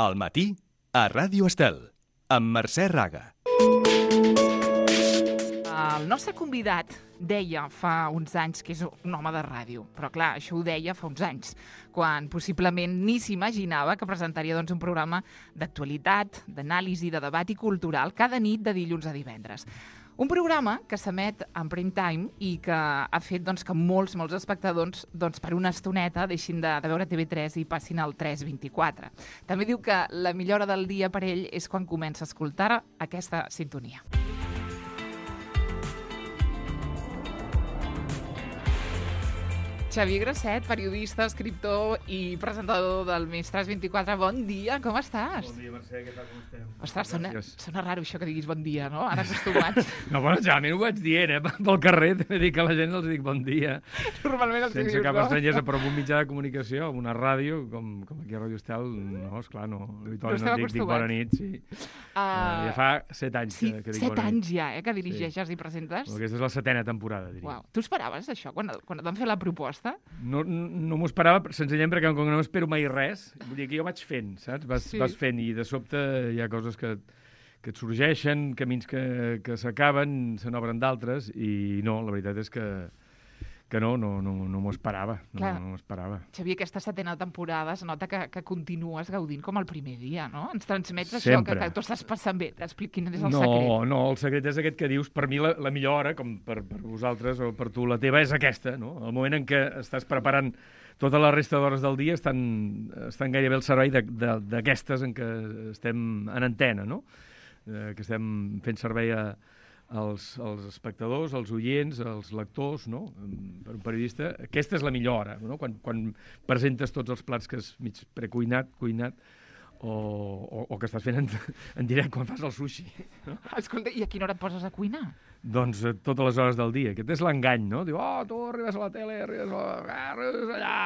Al matí, a Ràdio Estel, amb Mercè Raga. El nostre convidat deia fa uns anys que és un home de ràdio, però clar, això ho deia fa uns anys, quan possiblement ni s'imaginava que presentaria un programa d'actualitat, d'anàlisi, de debat i cultural cada nit de dilluns a divendres. Un programa que s'emet en prime time i que ha fet que molts espectadors per una estoneta deixin de veure TV3 i passin al 324. També diu que la millor hora del dia per ell és quan comença a escoltar aquesta sintonia. Xavier Grasset, periodista, escriptor i presentador del Més 324. Bon dia, com estàs? Bon dia, Mercè, què tal, com estem? Ostres, sona raro això que diguis bon dia, no? Ara acostumats. No, bueno, generalment ho vaig dient, pel carrer, també dic a la gent els dic bon dia. Normalment els sense dius, cap no? estranyesa, però en un mitjà de comunicació, en una ràdio, com aquí a Ràdio Estel, no, esclar, no. Habitualment no dic bona nit, sí. Ja fa 7 anys que dic bona nit. 7 anys ja, que dirigeixes i presentes? Aquesta és la 7ª temporada, diria. Uau. Tu esperaves això, quan et van fer la proposta? No m'ho esperava, senzillament perquè com que no m'espero mai res, vull dir que jo vaig fent, saps? Vas fent i de sobte hi ha coses que et sorgeixen, camins que s'acaben, se n'obren d'altres i no, la veritat és que no m'ho esperava. No m'ho esperava. Xavier, aquesta 7ª temporada es nota que continues gaudint com el primer dia, no? Ens transmets Sempre. això, que tu estàs passant bé. T'explico quin és el secret. No, el secret és aquest que dius. Per mi la millor hora, com per vosaltres o per tu, la teva, és aquesta, no? El moment en què estàs preparant tota la resta d'hores del dia estan gairebé al servei d'aquestes en què estem en antena, no? Que estem fent servei als espectadors, als oients, als lectors, no? Per un periodista, aquesta és la millor hora, no? Quan presentes tots els plats que és mig precuinat, cuinat, o que estàs fent en directe quan fas el sushi. No? Escolta, i a quina hora et poses a cuinar? Doncs totes les hores del dia. Aquest és l'engany, no? Diu, tu arribes a la tele, arribes allà,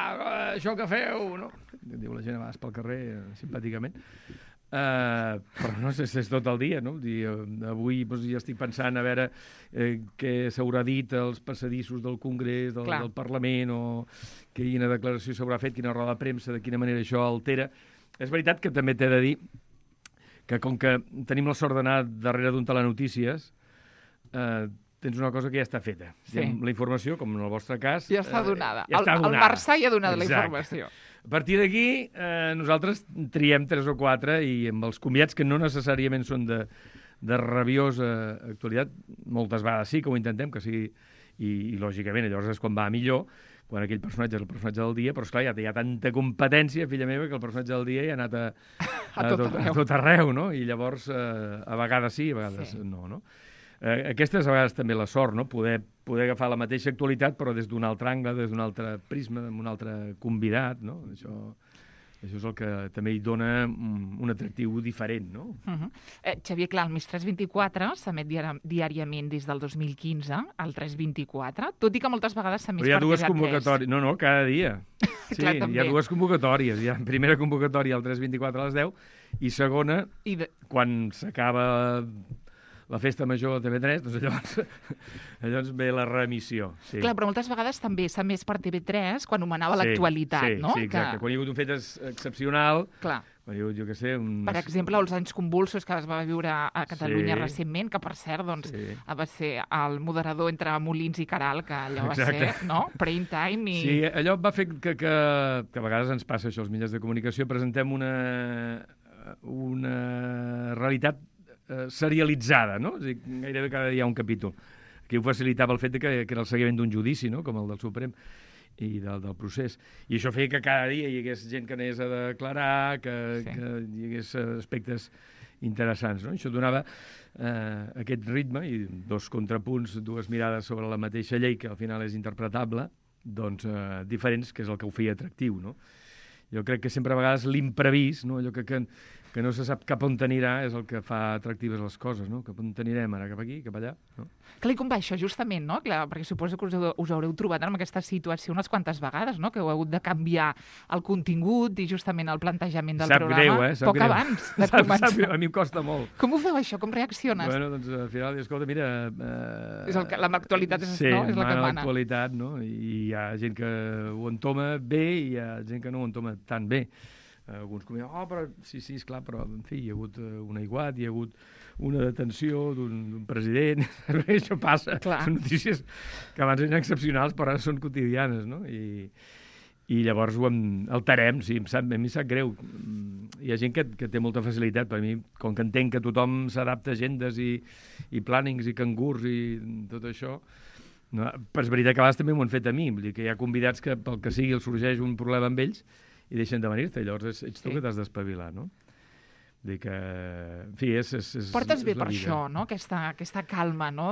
això que feu, no? Diu la gent a vegades pel carrer, simpàticament. Però no sé si és tot el dia, no? Avui ja estic pensant a veure què s'haurà dit als passadissos del Congrés, del Parlament, o quina declaració s'haurà fet, quina roda de premsa, de quina manera això altera. És veritat que també t'he de dir que com que tenim la sort d'anar darrere d'un telenotícies, tens una cosa que ja està feta. Sí. La informació, com en el vostre cas... Ja està donada. Ja està donada. El Marçà ja ha donat la informació. A partir d'aquí, nosaltres triem 3 o 4 i amb els convidats que no necessàriament són de rabiosa actualitat, moltes vegades sí que ho intentem, que sigui, i lògicament llavors és quan va millor, quan aquell personatge és el personatge del dia, però esclar, ja hi ha tanta competència, filla meva, que el personatge del dia ja ha anat a tot arreu, no? I llavors, a vegades sí, a vegades no? Aquesta és a vegades també la sort, no? Poder agafar la mateixa actualitat, però des d'un altre angle, des d'un altre prisma, amb un altre convidat, no? Això és el que també hi dona un atractiu diferent, no? Xavier, clar, el Més 324 s'emet diàriament des del 2015, al 324, tot i que moltes vegades s'ha més per TV3. Però hi ha dues convocatòries. No, cada dia. Sí, clar, hi ha dues convocatòries. Hi ha primera convocatòria al 324 a les 10 i segona, quan s'acaba la festa major de TV3, doncs llavors ve la reemissió. Sí. Clar, però moltes vegades també s'ha emès per TV3 quan nomenava l'actualitat, no? Sí, exacte. Quan hi ha hagut un fet excepcional, clar. Quan hi ha hagut, jo què sé... Per exemple, els anys convulsos que es va viure a Catalunya recentment, que per cert, va ser el moderador entre Molins i Caral, que allò va ser, no? Prime time i... Sí, allò va fer que a vegades ens passa això, als mitjans de comunicació, presentem una realitat serialitzada, no? És a dir, gairebé cada dia hi ha un capítol. Aquí ho facilitava el fet que era el seguiment d'un judici, no? Com el del Suprem i del procés. I això feia que cada dia hi hagués gent que anés a declarar, que hi hagués aspectes interessants, no? Això donava aquest ritme i dos contrapunts, dues mirades sobre la mateixa llei, que al final és interpretable, doncs diferents, que és el que ho feia atractiu, no? Jo crec que sempre a vegades l'imprevist, no? Allò que no se sap cap on t'anirà, és el que fa atractives les coses, no? Cap on t'anirem ara, cap aquí, cap allà, no? Clar, i com va això, justament, no? Clar, perquè suposo que us haureu trobat en aquesta situació unes quantes vegades, no? Que heu hagut de canviar el contingut i justament el plantejament del programa. Sap poc greu. Abans de començar. A mi em costa molt. Com ho feu, això? Com reacciones? Bueno, doncs al final, escolta, mira... L'actualitat és la que mana. L'actualitat, no? I hi ha gent que ho entoma bé i hi ha gent que no ho entoma tan bé. alguns comenten, però sí, esclar, però en fi, hi ha hagut un aiguat, hi ha hagut una detenció d'un president, això passa, són notícies que abans eren excepcionals però ara són quotidianes, no? I llavors ho alterem, sí, a mi sap greu. Hi ha gent que té molta facilitat, per mi, com que entenc que tothom s'adapta a agendes i plànings i cangurs i tot això, no, però és veritat que a vegades també m'ho han fet a mi, vull dir que hi ha convidats que pel que sigui els sorgeix un problema amb ells i deixen de venir-te, llavors ets tu que t'has d'espavilar, no? Dir que, en fi, portes bé és per això, no? Aquesta calma, no?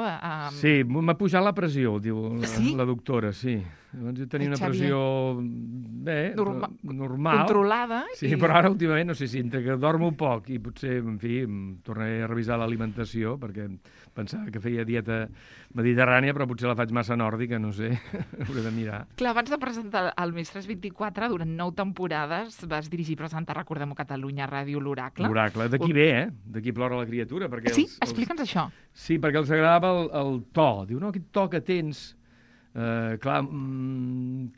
Sí, m'ha pujat la pressió, diu la doctora, sí. Llavors jo tenia una pressió bé, normal. Controlada. Sí, però ara últimament, no sé si entre que dormo poc i potser, en fi, tornaré a revisar l'alimentació, perquè pensava que feia dieta mediterrània, però potser la faig massa nòrdica, no sé, hauré de mirar. Clar, abans de presentar el Mestres 24, durant 9 temporades vas dirigir i presentar, recordem-ho, Catalunya Ràdio, l'Oracle. L'Oracle, d'aquí ve, d'aquí plora la criatura. Perquè sí? Explica'ns això. Sí, perquè els agradava el to. Diu, no, aquest to que tens... clar,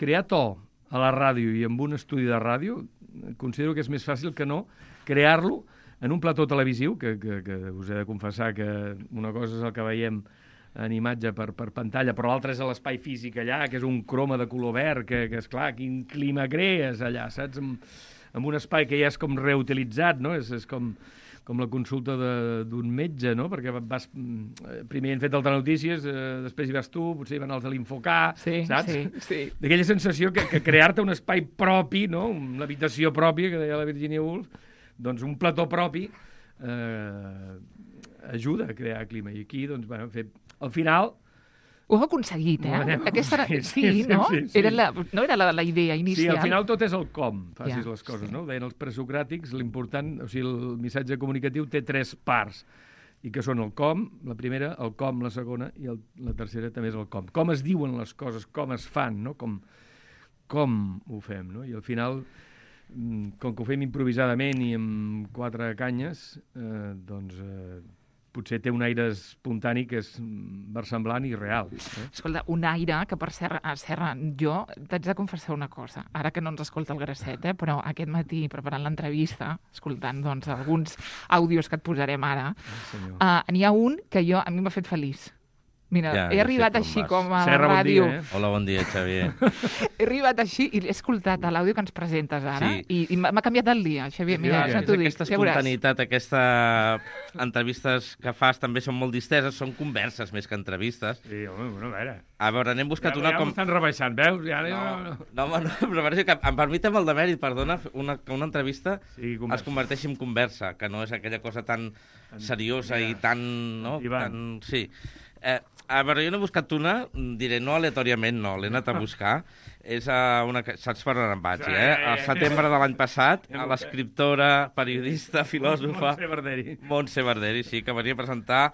crear to a la ràdio i en un estudi de ràdio considero que és més fàcil que no crear-lo en un plató televisiu, que us he de confessar que una cosa és el que veiem en imatge per pantalla, però l'altra és l'espai físic allà, que és un croma de color verd, que és clar, quin clima crees allà, saps? Amb un espai que ja és com reutilitzat, no? És com la consulta d'un metge, no? Perquè primer han fet el Telenotícies, després hi vas tu, potser hi van els de l'Infocà, saps? Sí. D'aquella sensació que crear-te un espai propi, no? Una habitació pròpia, que deia la Virginia Woolf, doncs un plató propi ajuda a crear clima. I aquí, doncs, bueno, al final... Ho heu aconseguit, Sí, no? Sí. No era la idea inicial. Sí, al final tot és el com, facis les coses, no? Ho deien els presocràtics, l'important, o sigui, el missatge comunicatiu té 3 parts, i que són el com, la primera, el com, la segona, i la tercera també és el com. Com es diuen les coses, com es fan, no? Com ho fem, no? I al final, com que ho fem improvisadament i amb 4 canyes, doncs... potser té un aire espontani que és versemblant i real. Escolta, un aire que, per cert, Serra, jo t'haig de confessar una cosa, ara que no ens escolta el Grasset, però aquest matí, preparant l'entrevista, escoltant doncs, alguns àudios que et posarem ara, n'hi ha un que a mi m'ha fet feliç. Mira, he arribat així com a la ràdio. Bon dia, Hola, bon dia, Xavier. He arribat així i he escoltat l'àudio que ens presentes ara i m'ha canviat el dia, Xavier. Mira, ja t'ho dic. Aquesta espontaneïtat, aquestes entrevistes que fas també són molt disteses, són converses més que entrevistes. Sí, home, bueno, a veure, n'hem buscat una com... Ja m'estan rebaixant, veus? No, però que em permetem el demèrit, perdona, que una entrevista es converteixi en conversa, que no és aquella cosa tan seriosa i tan... Sí. A veure, jo n'he buscat una, diré no aleatòriament, no, l'he anat a buscar. És una... Saps per on em vaig, Al setembre de l'any passat, a l'escriptora, periodista, filòsofa... Montse Barderi, sí, que venia a presentar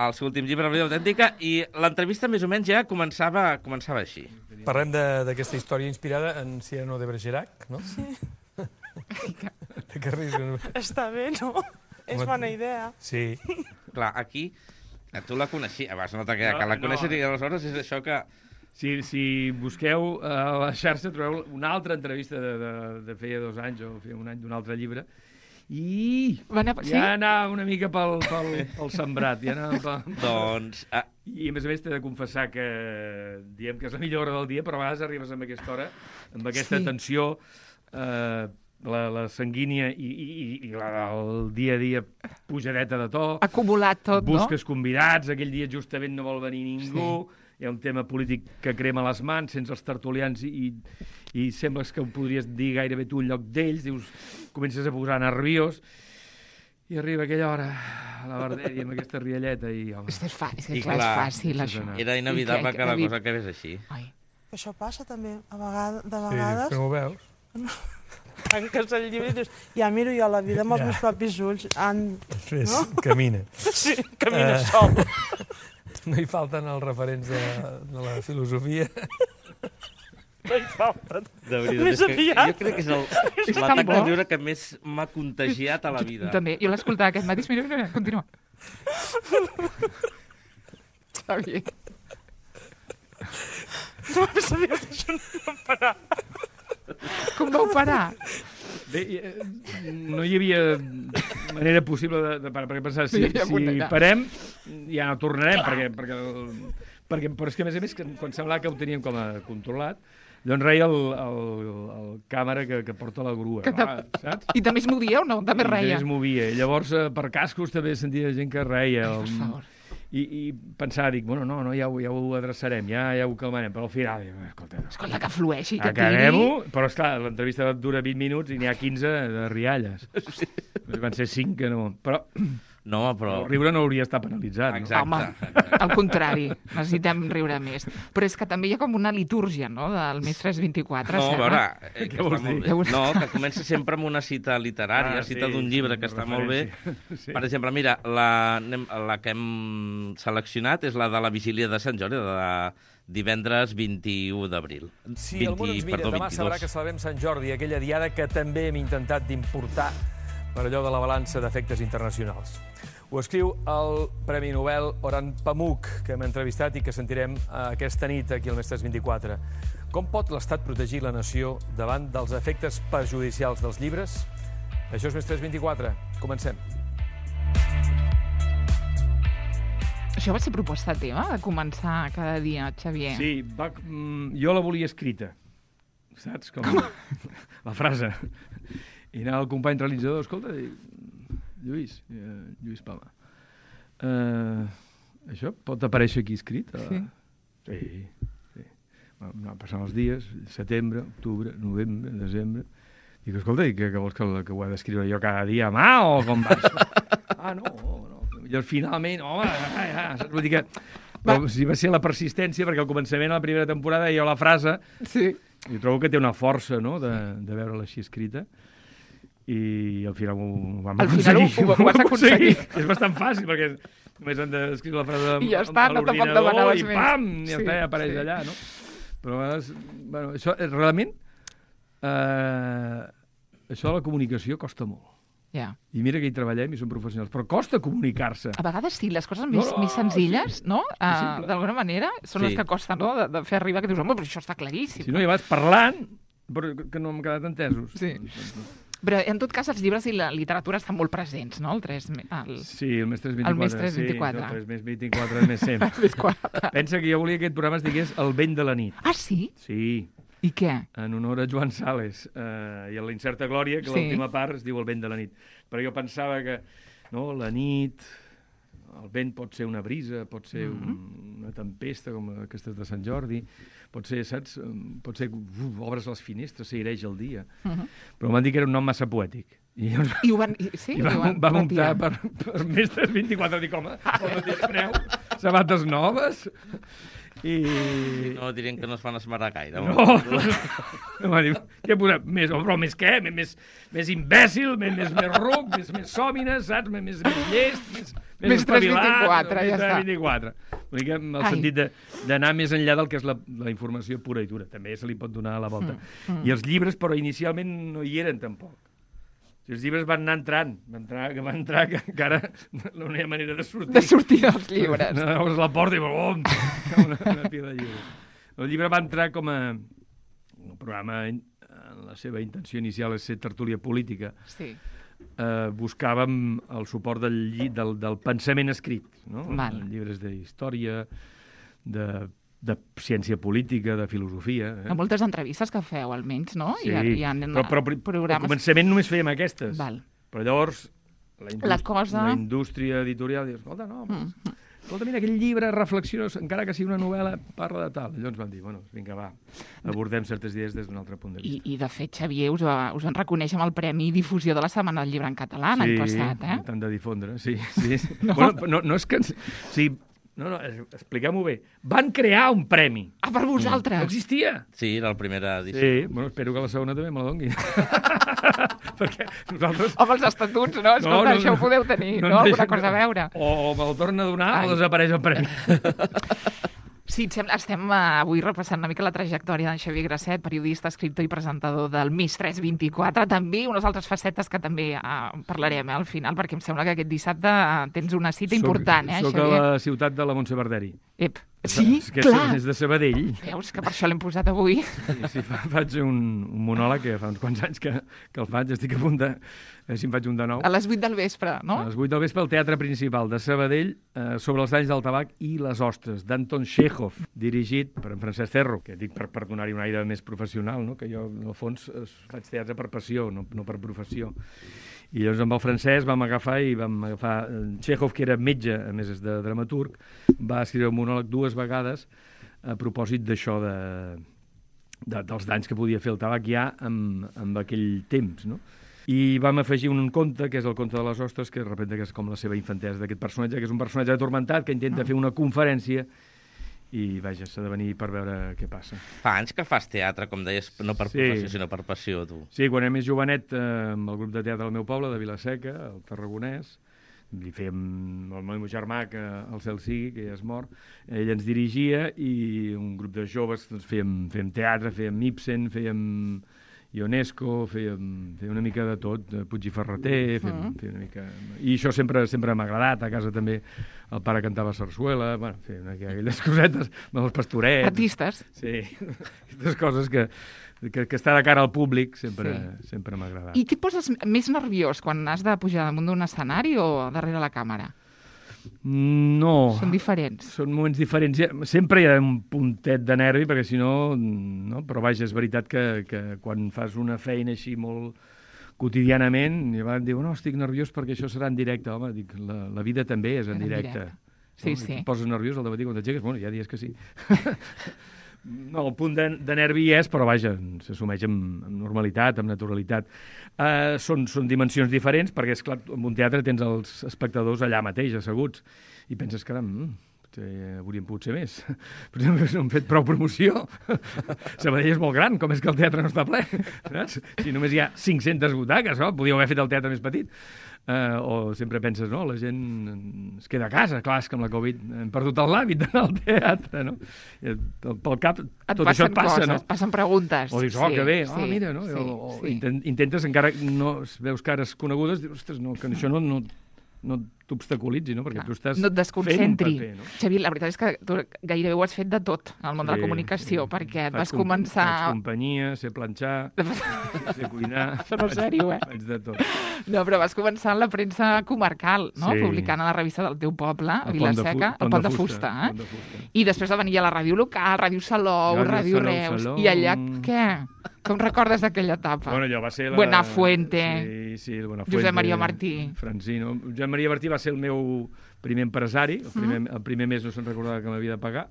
el seu últim llibre, La vida autèntica, i l'entrevista més o menys ja començava així. Parlem d'aquesta història inspirada en Cyrano de Bergerac, no? Sí. Està bé, no? És bona idea. Sí. Clar, aquí... Tu la coneixies, abans no t'ha quedat, que la coneixes i aleshores és això que... Si busqueu a la xarxa trobeu una altra entrevista de feia 2 anys o feia 1 any d'un altre llibre i ja anava una mica pel sembrat. Doncs... I a més té de confessar que diem que és la millor hora del dia, però a vegades arribes a aquesta hora amb aquesta tensió... la sanguínia i el dia a dia pujadeta de to. Acumulat tot, no? Busques convidats, aquell dia justament no vol venir ningú, hi ha un tema polític que crema les mans sense els tertulians i sembles que ho podries dir gairebé tu en lloc d'ells, dius, comences a posar nerviós i arriba aquella hora a la Barderi amb aquesta rialleta i... Home, és fàcil, això. Era inevitable que la cosa acabés així. Això passa també, de vegades... Sí, però ho veus? Tanques el llibre i dius, ja miro jo la vida amb els meus propis ulls. No? Camina. Sí, camina sol. No hi falten els referents de la filosofia. No hi falten. De veritat, jo crec que és l'atac de viure que més m'ha contagiat a la vida. També, jo l'escoltava aquest matí. Mira, continua. Xavier. No sabia que això no va parar. Com vau parar? Bé, no hi havia manera possible de parar, perquè pensava, si parem, ja no tornarem, perquè però és que, a més, quan semblava que ho teníem com a controlat, doncs reia el càmera que porta la grua, saps? I també es movia o no? També reia? I també es movia. I llavors, per cascos, també sentia gent que reia. Per favor. I pensava, dic, bueno, no, ja ho adreçarem, ja ho calmarem, però al final, escolta, que flueixi, que acabem-ho, però esclar, l'entrevista dura 20 minuts i n'hi ha 15 de rialles. Van ser 5 que no... Però... No, però... El riure no hauria estat penalitzat. Exacte. Home, al contrari, necessitem riure més. Però és que també hi ha com una litúrgia, no?, del Més 324. No, a veure... Què vols dir? No, que comença sempre amb una cita literària, cita d'un llibre que està molt bé. Sí. Per exemple, mira, la que hem seleccionat és la de la Vigília de Sant Jordi, de divendres 21 d'abril. Si el món ens mira, demà sabrà que celebrem Sant Jordi, aquella diada que també hem intentat d'importar per allò de la balança d'efectes internacionals. Ho escriu el Premi Nobel Orhan Pamuk, que hem entrevistat i que sentirem aquesta nit aquí al Més 324. Com pot l'Estat protegir la nació davant dels efectes perjudicials dels llibres? Això és Més 324. Comencem. Això va ser proposta teva, de començar cada dia, Xavier? Sí, jo la volia escrita, saps? Com la frase. I anava el company realitzador, escolta, Lluís Palma, això pot aparèixer aquí escrit? Sí. Van passant els dies, setembre, octubre, novembre, desembre. Dic, escolta, què vols que ho he d'escriure jo cada dia a mà o com va això? No. Llavors, finalment, saps? Vull dir que va ser la persistència, perquè al començament, a la primera temporada, hi ha la frase, i trobo que té una força, no?, de veure-la així escrita. I al final ho vam aconseguir. Al final ho vas aconseguir. És bastant fàcil, perquè només han d'escriure la frase i ja està, no tampoc demanaves més. I pam, ja està, ja apareix allà, no? Però a vegades, bueno, això realment, això de la comunicació costa molt. Ja. I mira que hi treballem i som professionals, però costa comunicar-se. A vegades sí, les coses més senzilles, no? D'alguna manera, són les que costa, no?, de fer arribar, que dius, home, però això està claríssim. Si no, ja vas parlant, però que no hem quedat entesos. Sí. Però, en tot cas, els llibres i la literatura estan molt presents, no? Sí, el Més 324. El Més 324. Sí, el Més 24 és més sempre. Pensa que jo volia que aquest programa es digués El vent de la nit. Ah, sí? Sí. I què? En honor a Joan Sales i a la incerta glòria, que l'última part es diu El vent de la nit. Però jo pensava que la nit, el vent pot ser una brisa, pot ser una tempesta, com aquestes de Sant Jordi, pot ser, saps? Pot ser que obres les finestres, s'aireja el dia. Però m'han dit que era un nom massa poètic. I vam optar per Més 324. Dic, home, el mateix preu, sabates noves... No dirien que no es fan esmerar gaire. No. M'ha dit, què posem? Però més què? Més imbècil, més ruc, més sòmines, saps? Més llest, més espavilat. Ja està. 324. Una mica en el sentit d'anar més enllà del que és la informació pura i dura. També se li pot donar a la volta. I els llibres, però inicialment no hi eren tampoc. Els llibres van anar entrant, van entrar que encara no hi ha manera de sortir. De sortir dels llibres. No, obres la porta i una pila de llibres. El llibre va entrar com a un programa, la seva intenció inicial és ser tertúlia política. Sí. Buscàvem el suport del pensament escrit, no? Val. Llibres d'història, de ciència política, de filosofia. Hi ha moltes entrevistes que feu, almenys, no? Sí, però al començament només fèiem aquestes. Val. Però llavors la indústria editorial diu, escolta, escolta, mira, aquell llibre reflexiona, encara que sigui una novel·la, parla de tal. Llavors van dir, bueno, vinga, va, abordem certes idees des d'un altre punt de vista. I de fet, Xavier, us van reconèixer amb el Premi Difusió de la Setmana del Llibre en Català l'any passat, Sí, tant de difondre, sí. No? Bueno, no és que... Sí, no, expliquem-ho bé. Van crear un premi. Ah, per vosaltres? No existia. Sí, era la primera edició. Sí, bueno, espero que la segona també me la donguin. Perquè nosaltres... Home, els estatuts, no? Escolta, això ho podeu tenir, no? Alguna cosa a veure. O me'l torna a donar o desapareix el premi. Sí, estem avui repassant una mica la trajectòria d'en Xavier Grasset, periodista, escriptor i presentador del Més 324. També unes altres facetes que també parlarem al final, perquè em sembla que aquest dissabte tens una cita important, Xavier? Soc a la ciutat de la Montse Verderi. Sí, que clar. És de Sabadell. Veus que per això l'hem posat avui. Sí, faig un monòleg que fa uns quants anys que el faig, estic a punt de... Si em faig un de nou. A les 8 del vespre, no? A les 8 del vespre al Teatre Principal de Sabadell sobre els danys del tabac i les ostres, d'Anton Chekhov, dirigit per en Francesc Ferro, que dic per donar-hi un aire més professional, no? Que jo, en el fons, faig teatre per passió, no per professió. I llavors amb el Francesc vam agafar Chekhov, que era metge, a més és de dramaturg, va escriure un monòleg 2 vegades a propòsit d'això dels danys que podia fer el tabac ja amb aquell temps, no? I vam afegir un conte, que és el conte de les ostres, que de repente que és com la seva infantesa d'aquest personatge, que és un personatge atormentat que intenta fer una conferència i, vaja, s'ha de venir per veure què passa. Fa anys que fas teatre, com deies, no per professió, sinó per passió, tu. Sí, quan era més jovenet, amb el grup de teatre del meu poble, de Vilaseca, el Tarragonès, li fèiem el meu germà, que el cel sigui, que ja és mort, ell ens dirigia i un grup de joves doncs, fèiem teatre, fèiem Ibsen, fèiem Ionesco, fèiem una mica de tot, Puig i Ferreter, fèiem una mica... I això sempre m'ha agradat, a casa també el pare cantava sarsuela, bueno, fèiem aquelles cosetes, amb els pastorets... Artistes. Sí, aquestes coses que estar de cara al públic sempre m'ha agradat. I què et poses més nerviós quan has de pujar damunt d'un escenari o darrere la càmera? No. Són diferents. Són moments diferents. Sempre hi ha un puntet de nervi, perquè si no... Però vaja, és veritat que quan fas una feina així molt quotidianament, i van dir, no, estic nerviós perquè això serà en directe. Home, dic, la vida també és en directe. Sí, no? Sí. Et poses nerviós al dematí quan t'aixeques? Bueno, hi ha dies que sí. No, el punt de nervi hi és, però vaja, s'assumeix amb normalitat, amb naturalitat. Són dimensions diferents, perquè, esclar, en un teatre tens els espectadors allà mateix, asseguts, i penses, caram, hauríem pogut ser més. Però no hem fet prou promoció. Sabadell és molt gran, com és que el teatre no està ple? Saps? Si només hi ha 500 butaques, no? Podíeu haver fet el teatre més petit. O sempre penses, no, la gent es queda a casa, clar, és que amb la Covid hem perdut l'hàbit d'anar al teatre, no? Pel cap tot això et passa, no? Et passen preguntes. O dius, que bé, mira, no? Intentes, encara no veus cares conegudes, dius, ostres, no, que això no t'obstaculitzi, no? Perquè tu estàs no et desconcentri. fent un paper, no? Xavi, la veritat és que tu gairebé ho has fet de tot en el món de la comunicació, perquè et vas començar... Faig companyia, sé planxar, sé cuinar... Això no és sèrio, Faig de tot. No, però vas començar en la premsa comarcal, no? Sí. Publicant a la revista del teu poble, a Vilaseca, el Pont de Fusta. I després va venir a la ràdio local, Ràdio Salou, Ràdio Reus... I allà, què? Com recordes d'aquella etapa? Bueno, allò va ser Buenafuente. Sí, el Buenafuente. Josep Maria Martí. Francino. Josep Maria Martí va ser el meu primer empresari. El primer mes no se'n recordava que m'havia de pagar.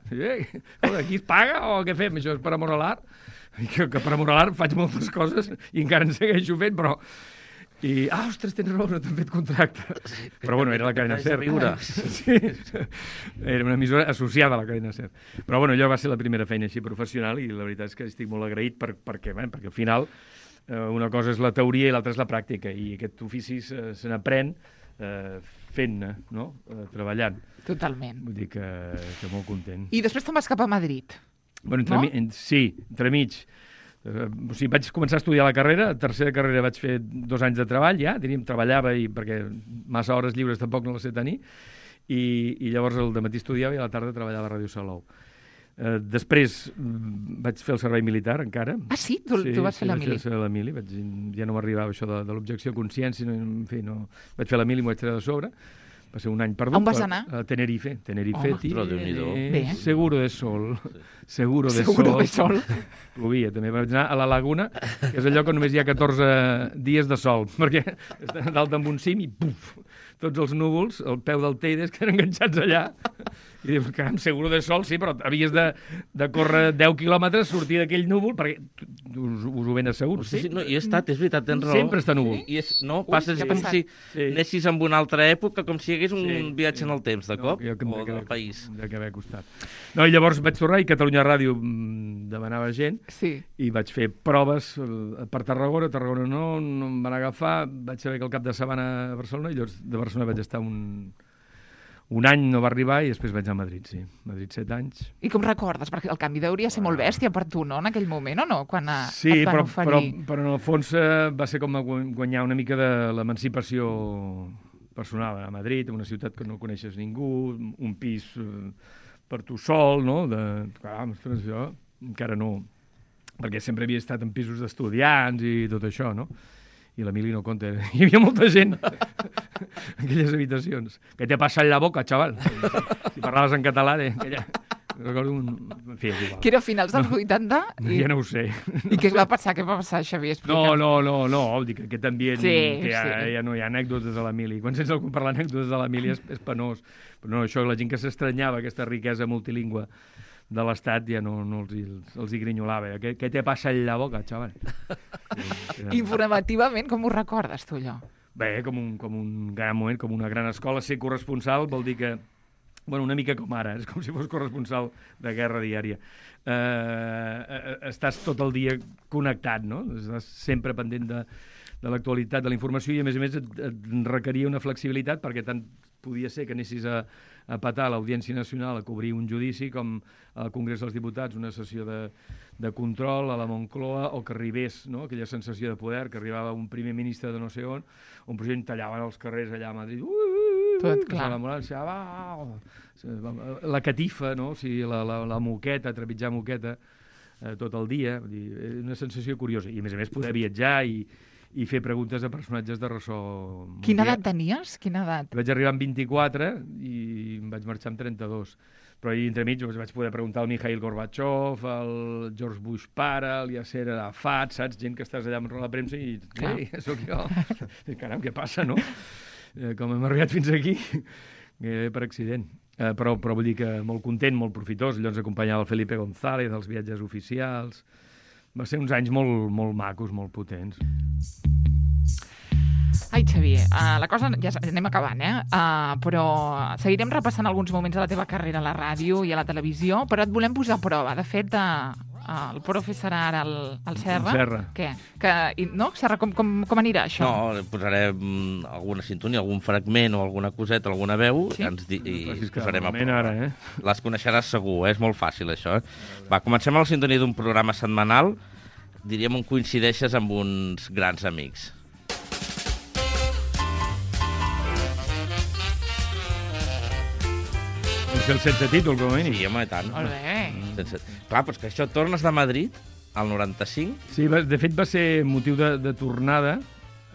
Aquí es paga o què fem? Això és per amor a l'art? Que per amor a l'art faig moltes coses i encara en segueixo fent, però... ostres, tens raó, no t'han fet contracte. Però bueno, era la cadena SER. Sí, era una emissora associada a la cadena SER. Però bueno, allò va ser la primera feina així professional i la veritat és que estic molt agraït perquè al final una cosa és la teoria i l'altra és la pràctica i aquest ofici se n'aprèn fent-ne, no? Treballant. Totalment. Vull dir que molt content. I després te'n vas cap a Madrid. Bueno, entremig. O sigui, vaig començar a estudiar la carrera, tercera carrera vaig fer 2 anys de treball ja, diríem, treballava perquè massa hores lliures tampoc no les sé tenir, i llavors al dematí estudiava i a la tarda treballava a Ràdio Salou. Després vaig fer el servei militar encara. Ah, sí? Tu vas fer la mili? Sí, vaig fer la mili, ja no m'arribava això de l'objecció a consciència, en fi, no. Vaig fer la mili i m'ho vaig treure de sobre. Va ser un any perdut. On vas anar? A Tenerife. Seguro de sol. Seguro de sol. Plovia, també. Vaig anar a la Laguna, que és el lloc on només hi ha 14 dies de sol, perquè està dalt amb un cim i puf, tots els núvols, al peu del Teide, que eren enganxats allà. I dius, caram, seguro de sol, sí, però havies de córrer 10 quilòmetres, sortir d'aquell núvol, perquè us ho ben assegut. Sí, no, hi he estat, és veritat, tens raó. Sempre està núvol. Passes com si anessis en una altra època, com si hi hagués un viatge en el temps, de cop, o del país. De que haver costat. No, i llavors vaig tornar i Catalunya Ràdio demanava gent i vaig fer proves per Tarragona no em van agafar, vaig saber que al cap de setmana a Barcelona, i llavors de Barcelona vaig estar un any, no va arribar, i després vaig anar a Madrid, sí. Madrid 7 anys. I com recordes? Perquè el canvi hauria de ser molt bèstia per tu, no?, en aquell moment, o no? Quan sí, però en el fons va ser com guanyar una mica de l'emancipació personal a Madrid, una ciutat que no coneixes ningú, un pis per tu sol, no? Clar, ostres, jo encara no, perquè sempre havia estat en pisos d'estudiants i tot això, no? I l'Emili no compta. Hi havia molta gent en aquelles habitacions. Què te passa en la boca, xaval? Si parlaves en català, aquella... Recordo en fi, és igual. Que era a finals dels 80? Ja no ho sé. I què va passar, Xavier? Explica'm. No, dic que aquest ambient, que ja no hi ha anècdotes a l'Emili. Quan sents algú parlar anècdotes de l'Emili és penós. Però no, això, la gent que s'estranyava, aquesta riquesa multilingüe de l'Estat, ja no els hi grinyolava. Què te passa en la boca, xaval? Informativament, com ho recordes, tu, allò? Bé, com un gran moment, com una gran escola. Ser corresponsal vol dir que una mica com ara, és com si fos corresponsal de guerra diària. Estàs tot el dia connectat, no? Estàs sempre pendent de l'actualitat, de la informació, i a més et requeria una flexibilitat, perquè tant podia ser que anessis a petar l'Audiència Nacional a cobrir un judici, com al Congrés dels Diputats una sessió de control a la Moncloa, o que arribés, no?, aquella sensació de poder, que arribava un primer ministre de no sé on president tallaven els carrers allà a Madrid, tot clar. La catifa, no? O sigui, la moqueta, trepitjar moqueta tot el dia, una sensació curiosa. I a més poder viatjar i fer preguntes a personatges de ressò. Quina edat tenies? Quina edat? Vaig arribar amb 24 i em vaig marxar amb 32. Però ahir entremig vaig poder preguntar al Mikhail Gorbachev, al George Bush pare, al Yasser Arafat, saps? Gent que estàs allà amb la premsa i... Ei, sóc jo. Caram, què passa, no? Com hem arribat fins aquí, per accident. Però vull dir que molt content, molt profitós. Allò ens acompanyava el Felipe González, els viatges oficials. Va ser uns anys molt macos, molt potents. Ai, Xavier, la cosa ja anem acabant, però seguirem repassant alguns moments de la teva carrera a la ràdio i a la televisió, però et volem posar a prova. De fet, el profe serà ara el Serra. Serra. Què? No? Serra, com anirà això? No, posarem alguna sintonia, algun fragment o alguna coseta, alguna veu, sí? i posarem a prova. Ara, Les coneixeràs segur, és molt fàcil això. Va, comencem a la sintonia d'un programa setmanal, diríem on coincideixes amb uns grans amics. El sense títol, com a mínim. Sí, home, i tant. Molt bé. Clar, però és que això tornes de Madrid, al 95. Sí, de fet va ser motiu de tornada,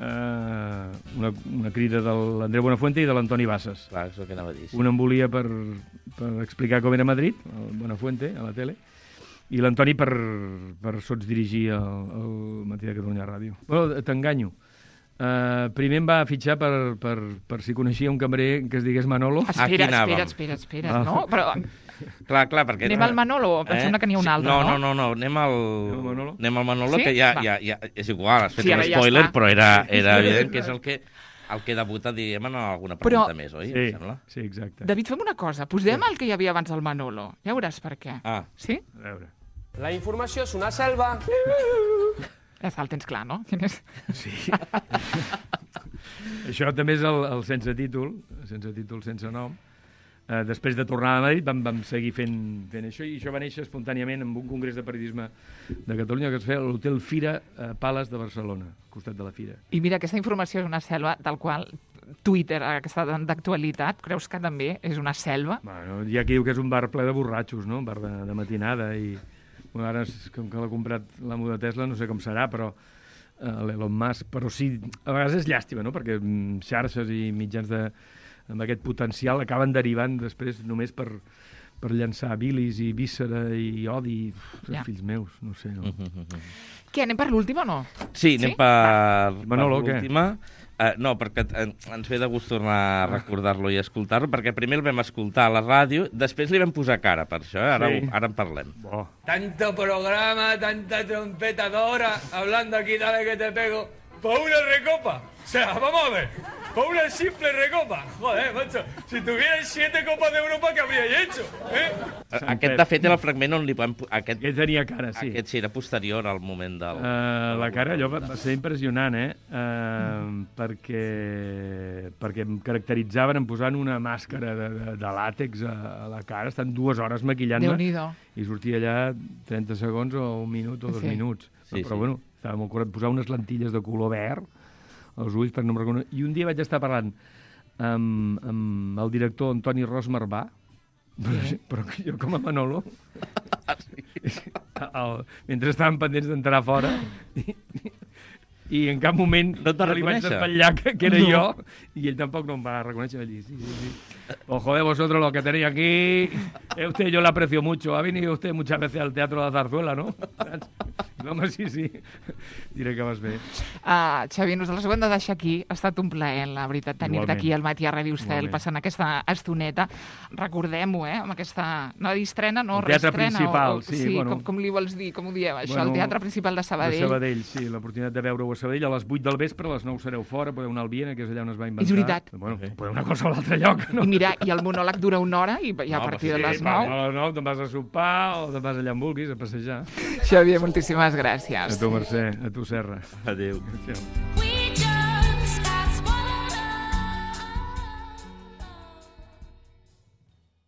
una crida de l'Andreu Buenafuente i de l'Antoni Bassas. Clar, és el que anava a dir. Sí. Un em volia per explicar com era Madrid, el Buenafuente, a la tele, i l'Antoni per sots dirigir el Matí de Catalunya Ràdio. Bueno, t'enganyo. Primer em va fitxar per si coneixia un cambrer que es digués Manolo. Espera, no? Però... Clar, perquè... Anem al Manolo? Pensem que n'hi ha un altre, no? No, anem al Manolo, sí? que ja és igual, has fet un spoiler, però era evident que és el que debuta, diguem, en alguna pregunta més, oi? Sí, exacte. David, fem una cosa, posem el que hi havia abans al Manolo, ja veuràs per què. Sí? A veure. La informació és una selva... Ja el tens clar, no? Sí. Això també és el sense títol, sense nom. Després de tornar a Madrid vam seguir fent això, i això va néixer espontàniament amb un congrés de periodisme de Catalunya que es feia a l'Hotel Fira Palace de Barcelona, al costat de la Fira. I mira, aquesta informació és una selva del qual Twitter, aquesta d'actualitat, creus que també és una selva? Bueno, hi ha qui diu que és un bar ple de borratxos, no? Un bar de matinada i... Bueno, ara, com que l'ha comprat l'amo de Tesla, no sé com serà, però l'Elon Musk, però sí, a vegades és llàstima, no? Perquè xarxes i mitjans amb aquest potencial acaben derivant després només per llançar bilis i víscera i odi, fills meus, no sé. No? Què, anem per l'última o no? Sí, anem per Manolo, l'última. No, perquè ens ve de gust tornar a recordar-lo i escoltar-lo, perquè primer el vam escoltar a la ràdio, després li vam posar cara per això, ara en parlem. Tanto programa, tanta trompetadora, hablando aquí, dale que te pego, por una recopa. O sea, vamos a ver, por una simple recopa. Joder, macho, si tuvierais 7 copas de Europa, ¿qué habríais hecho? Aquest, de fet, era el fragment on li vam... Aquest tenia cara, sí. Aquest sí, era posterior al moment del... La cara, allò va ser impressionant, perquè em caracteritzaven em posant una màscara de làtex a la cara, estan 2 hores maquillant-me. Déu-n'hi-do. I sortia allà 30 segons o 1 minut o 2 minuts. Però bueno, estava molt correcte. Posar unes lentilles de color verd als ulls per no em reconèixer. I un dia vaig estar parlant amb el director Antoni Ros Marbà, Però jo com a Manolo, mentre estaven pendents d'entrar fora, i en cap moment no li vaig despatllar que era jo, i ell tampoc no em va reconèixer. Va dir, sí. Pues joder, vosotros lo que tenéis aquí, usted yo le aprecio mucho, ha venido usted muchas veces al Teatro de la Zarzuela, ¿no? No, home, sí, diré que vas bé. Xavi, nosaltres ho hem de deixar aquí. Ha estat un plaer, la veritat, tenir-te aquí al Matí a Ràdio Estel, passant aquesta estoneta. Recordem-ho, amb aquesta... No, estrena, no, reestrena. El teatre principal, sí. Bueno. Com li vols dir? Com ho dieu, això? El Teatre Principal de Sabadell. De Sabadell, sí. L'oportunitat de veure-ho a Sabadell. A les 8 del vespre, a les 9 sereu fora, podeu anar al Viena, que és allà on es va inventar. És veritat. Bueno, podeu anar a qualsevol altre lloc, no? I mira, i el monòleg dura una hora i a partir de les 9... A les 9 te'n vas a sopar o te'n vas allà on vulguis, a passejar. Xavier, moltíssimes gràcies. A tu, Mercè, a tu, Serra. Adéu. Adéu.